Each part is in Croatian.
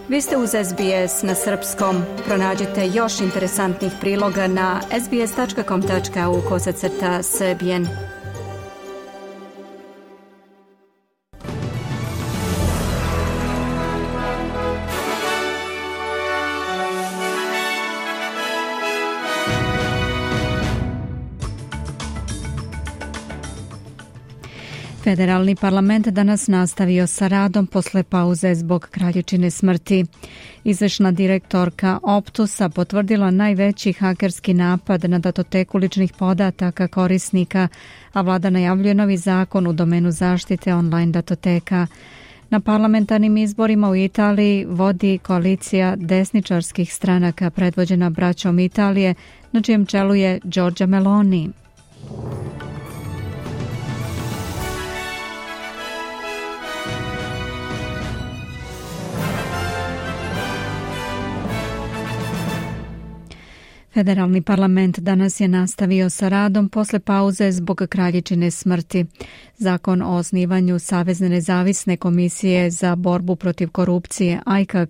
Vi ste uz SBS na srpskom. Pronađite još interesantnih priloga na sbs.com.au/srbijen. Federalni parlament danas nastavio sa radom posle pauze zbog kraljičine smrti. Izvršna direktorka Optusa potvrdila najveći hakerski napad na datoteku ličnih podataka korisnika, a vlada najavljuje novi zakon u domenu zaštite online datoteka. Na parlamentarnim izborima u Italiji vodi koalicija desničarskih stranaka predvođena braćom Italije, na čijem čelu je Giorgia Meloni. Federalni parlament danas je nastavio sa radom posle pauze zbog kraljičine smrti. Zakon o osnivanju Savezne nezavisne komisije za borbu protiv korupcije, ICAC,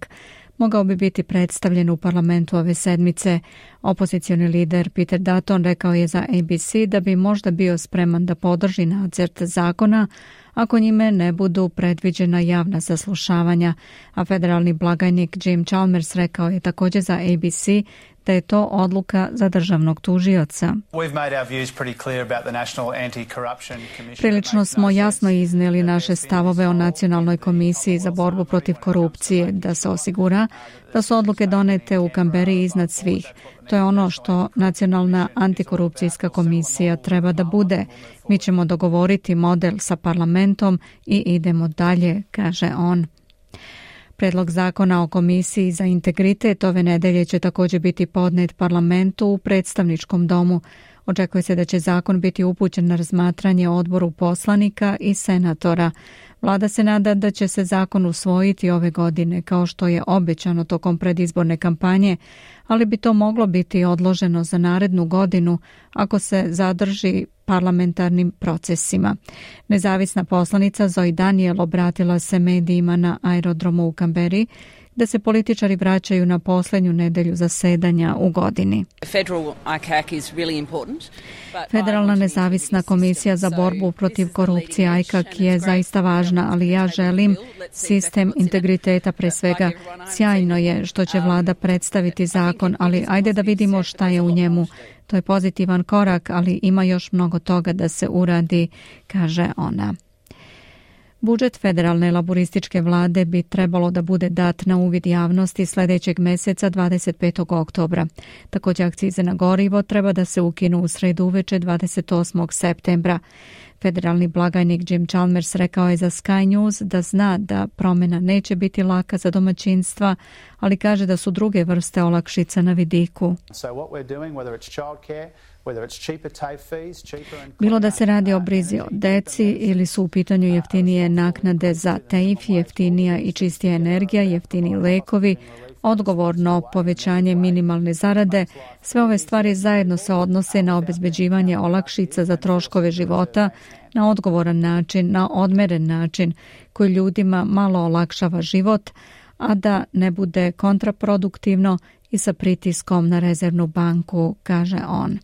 mogao bi biti predstavljen u parlamentu ove sedmice. Opozicioni lider Peter Dutton rekao je za ABC da bi možda bio spreman da podrži nacrt zakona ako njime ne budu predviđena javna saslušavanja, a federalni blagajnik Jim Chalmers rekao je također za ABC da je to odluka za državnog tužioca. Prilično smo jasno iznijeli naše stavove o Nacionalnoj komisiji za borbu protiv korupcije, da se osigura da su odluke donete u Kamberi iznad svih. To je ono što Nacionalna antikorupcijska komisija treba da bude. Mi ćemo dogovoriti model sa parlamentom i idemo dalje, kaže on. Predlog zakona o komisiji za integritet ove nedelje će također biti podnet parlamentu u predstavničkom domu. Očekuje se da će zakon biti upućen na razmatranje odboru poslanika i senatora. Vlada se nada da će se zakon usvojiti ove godine, kao što je obećano tokom predizborne kampanje, ali bi to moglo biti odloženo za narednu godinu ako se zadrži parlamentarnim procesima. Nezavisna poslanica Zoe Daniel obratila se medijima na aerodromu u Kamberi, da se političari vraćaju na posljednju nedelju zasedanja u godini. Federalna nezavisna komisija za borbu protiv korupcije ICAC je zaista važna, ali ja želim sistem integriteta pre svega. Sjajno je što će vlada predstaviti zakon, ali ajde da vidimo šta je u njemu. To je pozitivan korak, ali ima još mnogo toga da se uradi, kaže ona. Budžet federalne laborističke vlade bi trebalo da bude dat na uvid javnosti sljedećeg meseca 25. oktobra. Također akcize na gorivo treba da se ukinu u sredu uveče 28. septembra. Federalni blagajnik Jim Chalmers rekao je za Sky News da zna da promjena neće biti laka za domaćinstva, ali kaže da su druge vrste olakšica na vidiku. Bilo da se radi o brizi o deci ili su u pitanju jeftinije naknade za TAFE, jeftinija i čistija energija, jeftiniji lekovi, odgovorno povećanje minimalne zarade, sve ove stvari zajedno se odnose na obezbeđivanje olakšica za troškove života na odgovoran način, na odmeren način koji ljudima malo olakšava život, a da ne bude kontraproduktivno i sa pritiskom na rezervnu banku, kaže on.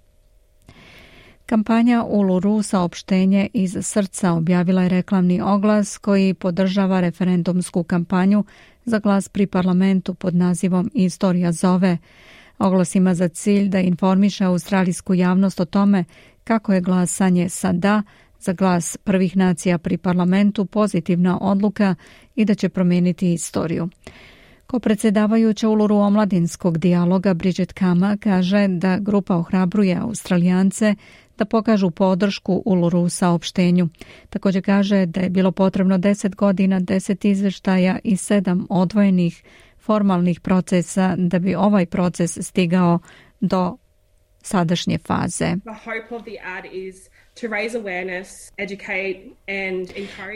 Kampanja Uluru saopštenje iz srca objavila je reklamni oglas koji podržava referendumsku kampanju za glas pri parlamentu pod nazivom Istorija zove. Oglas ima za cilj da informiše australijsku javnost o tome kako je glasanje sa da za glas prvih nacija pri parlamentu pozitivna odluka i da će promijeniti istoriju. Ko predsjedavajuća Uluru omladinskog dijaloga Bridget Kama kaže da grupa ohrabruje Australijance da pokažu podršku Uluru saopštenju. Također kaže da je bilo potrebno 10 godina, 10 izvještaja i 7 odvojenih formalnih procesa da bi ovaj proces stigao do sadašnje faze.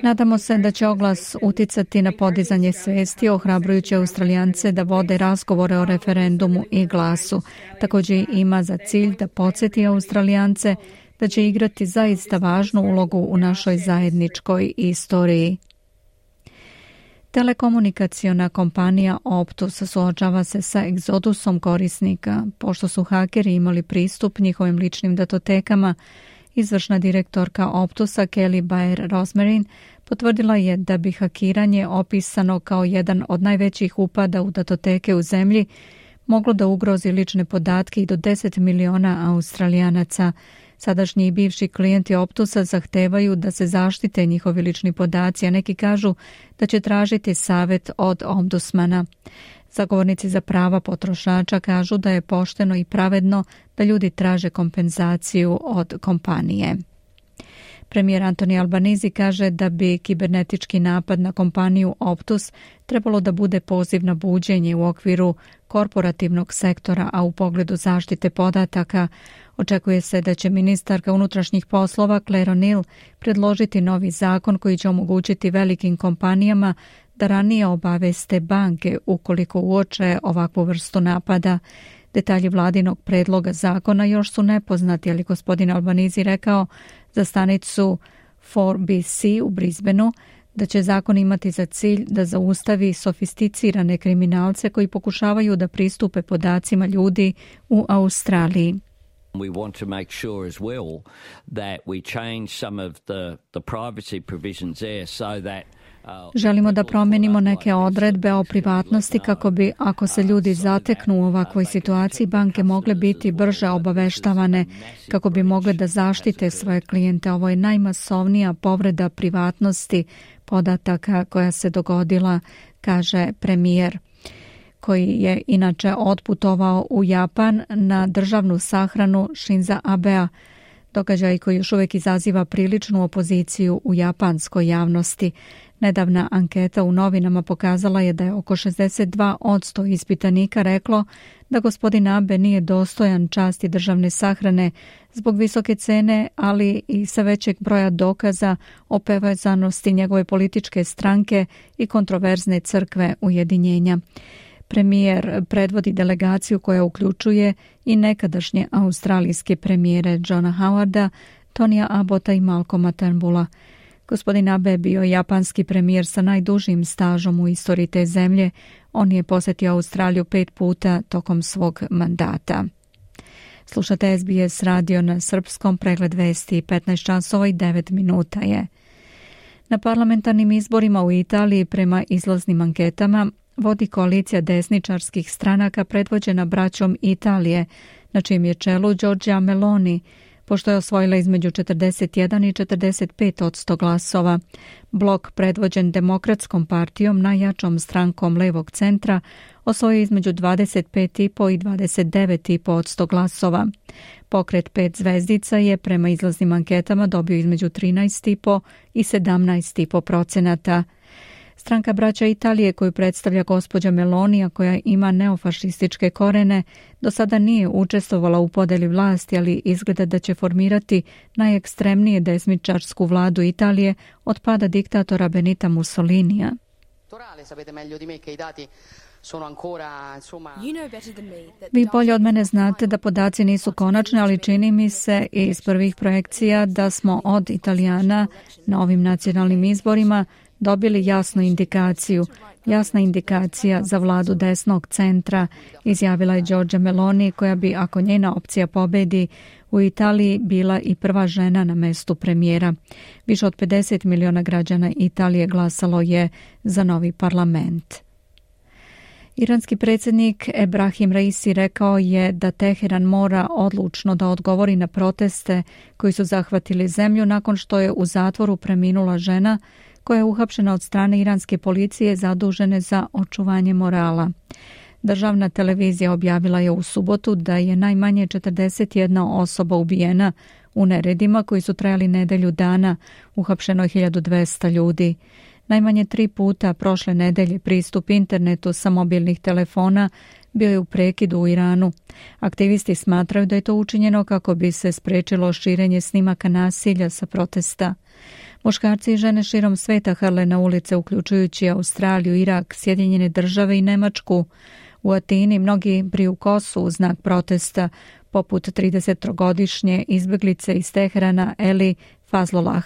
Nadamo se da će oglas uticati na podizanje svijesti, ohrabrujući Australijance da vode razgovore o referendumu i glasu. Također ima za cilj da podsjeti Australijance da će igrati zaista važnu ulogu u našoj zajedničkoj istoriji. Telekomunikaciona kompanija Optus suočava se sa egzodusom korisnika, pošto su hakeri imali pristup njihovim ličnim datotekama. Izvršna direktorka Optusa Kelly Bayer-Rosmarin potvrdila je da bi hakiranje, opisano kao jedan od najvećih upada u datoteke u zemlji, moglo da ugrozi lične podatke i do 10 miliona Australijanaca. Sadašnji i bivši klijenti Optusa zahtevaju da se zaštite njihovi lični podaci, a neki kažu da će tražiti savjet od ombudsmana. Zagovornici za prava potrošača kažu da je pošteno i pravedno da ljudi traže kompenzaciju od kompanije. Premijer Anthony Albanese kaže da bi kibernetički napad na kompaniju Optus trebalo da bude poziv na buđenje u okviru korporativnog sektora, a u pogledu zaštite podataka očekuje se da će ministarka unutrašnjih poslova Claire O'Neill predložiti novi zakon koji će omogućiti velikim kompanijama da ranije obaveste banke ukoliko uoče ovakvu vrstu napada. Detalji vladinog predloga zakona još su nepoznati, ali gospodin Albanese rekao za stanicu 4BC u Brisbaneu da će zakon imati za cilj da zaustavi sofisticirane kriminalce koji pokušavaju da pristupe podacima ljudi u Australiji. We want to make sure as well that we change some of the privacy provisions there so that Želimo da promenimo neke odredbe o privatnosti kako bi, ako se ljudi zateknu u ovakvoj situaciji, banke mogle biti brže obaveštavane kako bi mogle da zaštite svoje klijente. Ovo je najmasovnija povreda privatnosti podataka koja se dogodila, kaže premijer, koji je inače otputovao u Japan na državnu sahranu Shinza Abea, događaj koji još uvijek izaziva priličnu opoziciju u japanskoj javnosti. Nedavna anketa u novinama pokazala je da je oko 62% ispitanika reklo da gospodin Abe nije dostojan časti državne sahrane zbog visoke cene, ali i sa većeg broja dokaza o povezanosti njegove političke stranke i kontroverzne crkve ujedinjenja. Premijer predvodi delegaciju koja uključuje i nekadašnje australijske premijere Johna Howarda, Tonija Abbotta i Malcolma Turnbulla. Gospodin Abe je bio japanski premijer sa najdužim stažom u istoriji te zemlje. On je posjetio Australiju 5 puta tokom svog mandata. Slušate SBS radio na srpskom, pregled vesti 15 časova i 9 minuta je. Na parlamentarnim izborima u Italiji prema izlaznim anketama vodi koalicija desničarskih stranaka predvođena braćom Italije, na čijem je čelu Giorgia Meloni, pošto je osvojila između 41 i 45% glasova. Blok predvođen Demokratskom partijom, najjačom strankom levog centra, osvojio između 25,5 i 29,5% glasova. Pokret 5 zvezdica je prema izlaznim anketama dobio između 13,5 i 17,5%. Stranka braća Italije, koju predstavlja gospođa Melonija, koja ima neofašističke korene, do sada nije učestvovala u podeli vlasti, ali izgleda da će formirati najekstremnije desničarsku vladu Italije od pada diktatora Benita Mussolinija. Vi bolje od mene znate da podaci nisu konačni, ali čini mi se iz prvih projekcija da smo od Italijana na ovim nacionalnim izborima dobili jasna indikacija za vladu desnog centra, izjavila je Giorgia Meloni, koja bi, ako njena opcija pobedi u Italiji, bila i prva žena na mestu premijera. Više od 50 miliona građana Italije glasalo je za novi parlament. Iranski predsjednik Ebrahim Raisi rekao je da Teheran mora odlučno da odgovori na proteste koji su zahvatili zemlju nakon što je u zatvoru preminula žena koja je uhapšena od strane iranske policije zadužene za očuvanje morala. Državna televizija objavila je u subotu da je najmanje 41 osoba ubijena u neredima koji su trajali nedelju dana, uhapšeno je 1200 ljudi. Najmanje 3 puta prošle nedelje pristup internetu sa mobilnih telefona bio je u prekidu u Iranu. Aktivisti smatraju da je to učinjeno kako bi se sprečilo širenje snimaka nasilja sa protesta. Muškarci i žene širom sveta hrle na ulice, uključujući Australiju, Irak, Sjedinjene Države i Nemačku. U Atini mnogi briju kosu u znak protesta, poput 30-godišnje izbjeglice iz Teherana Eli Fazlollah.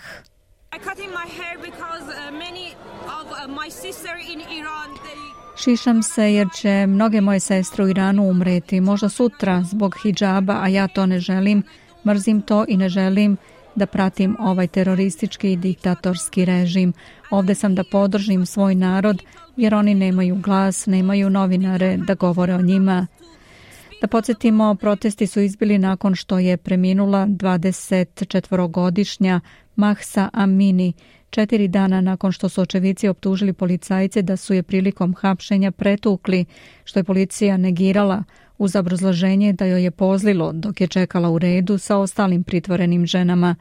Šišam se jer će mnoge moje sestre u Iranu umreti, možda sutra zbog hidžaba, a ja to ne želim, mrzim to i ne želim da pratim ovaj teroristički i diktatorski režim. Ovdje sam da podržim svoj narod jer oni nemaju glas, nemaju novinare da govore o njima. Da podsjetimo, protesti su izbili nakon što je preminula 24-godišnja Mahsa Amini, 4 dana nakon što su očevici optužili policajce da su je prilikom hapšenja pretukli, što je policija negirala uz obrazloženje da joj je pozlilo dok je čekala u redu sa ostalim pritvorenim ženama.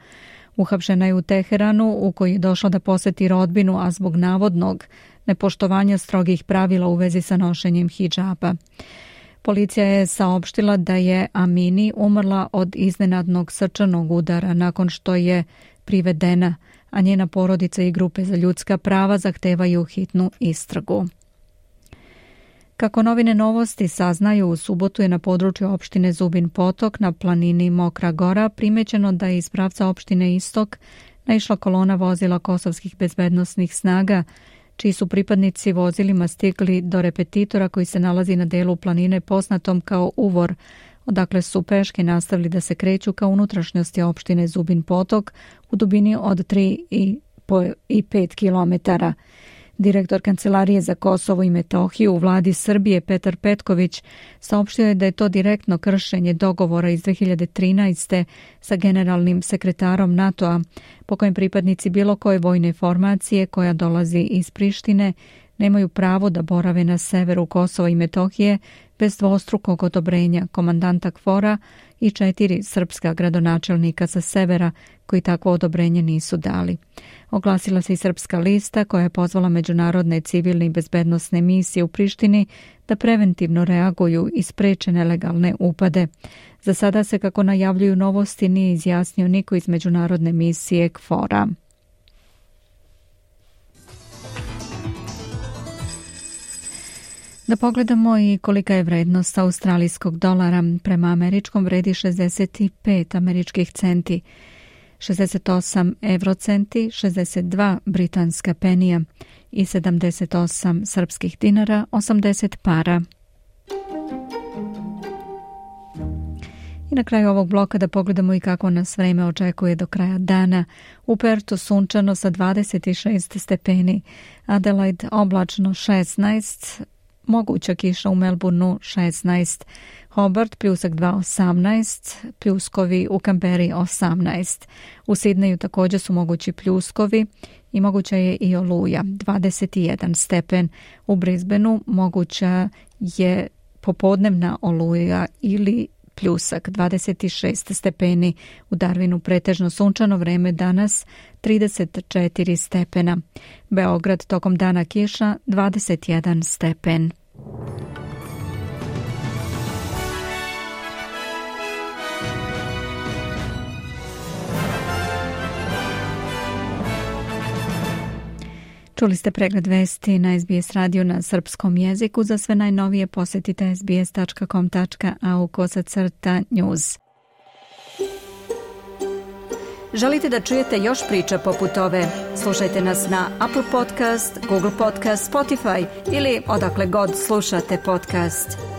Uhapšena je u Teheranu u koji je došla da poseti rodbinu, a zbog navodnog nepoštovanja strogih pravila u vezi sa nošenjem hidžaba. Policija je saopštila da je Amini umrla od iznenadnog srčanog udara nakon što je privedena, a njena porodica i grupe za ljudska prava zahtevaju hitnu istragu. Kako novine Novosti saznaju, u subotu je na području opštine Zubin Potok na planini Mokra Gora primećeno da je iz pravca opštine Istok naišla kolona vozila kosovskih bezbednosnih snaga, čiji su pripadnici vozilima stigli do repetitora koji se nalazi na delu planine poznatom kao Uvor, odakle su peške nastavili da se kreću ka unutrašnjosti opštine Zubin Potok u dubini od 3,5 kilometara. Direktor Kancelarije za Kosovo i Metohiju u vladi Srbije Petar Petković saopštio je da je to direktno kršenje dogovora iz 2013. sa generalnim sekretarom NATO-a, po kojem pripadnici bilo koje vojne formacije koja dolazi iz Prištine nemaju pravo da borave na severu Kosova i Metohije bez dvostrukog odobrenja komandanta KFOR-a i 4 srpska gradonačelnika sa severa koji takvo odobrenje nisu dali. Oglasila se i Srpska lista koja je pozvala međunarodne civilne i bezbednosne misije u Prištini da preventivno reaguju i spreče nelegalne upade. Za sada se, kako najavljuju Novosti, nije izjasnio niko iz međunarodne misije KFOR-a. Da pogledamo i kolika je vrednost australijskog dolara. Prema američkom vredi 65 američkih centi, 68 eurocenti, 62 britanska penija i 78 srpskih dinara, 80 para. I na kraju ovog bloka da pogledamo i kako nas vreme očekuje do kraja dana. U Pertu sunčano sa 26 stepeni, Adelaide oblačno 16, moguća kiša u Melbourneu 16, Hobart pljusak 2, 18, pljuskovi u Kamberi 18. U Sidneju također su mogući pljuskovi i moguća je i oluja 21 stepen. U Brisbaneu moguća je popodnevna oluja ili pljusak 26 stepeni. U Darwinu pretežno sunčano vreme danas 34 stepena. Beograd tokom dana kiša 21 stepen. Čuli ste pregled vesti na SBS radio na srpskom jeziku. Za sve najnovije posjetite sbs.com.au/news. Želite da čujete još priča poput ove? Slušajte nas na Apple Podcast, Google Podcast, Spotify ili odakle god slušate podcast.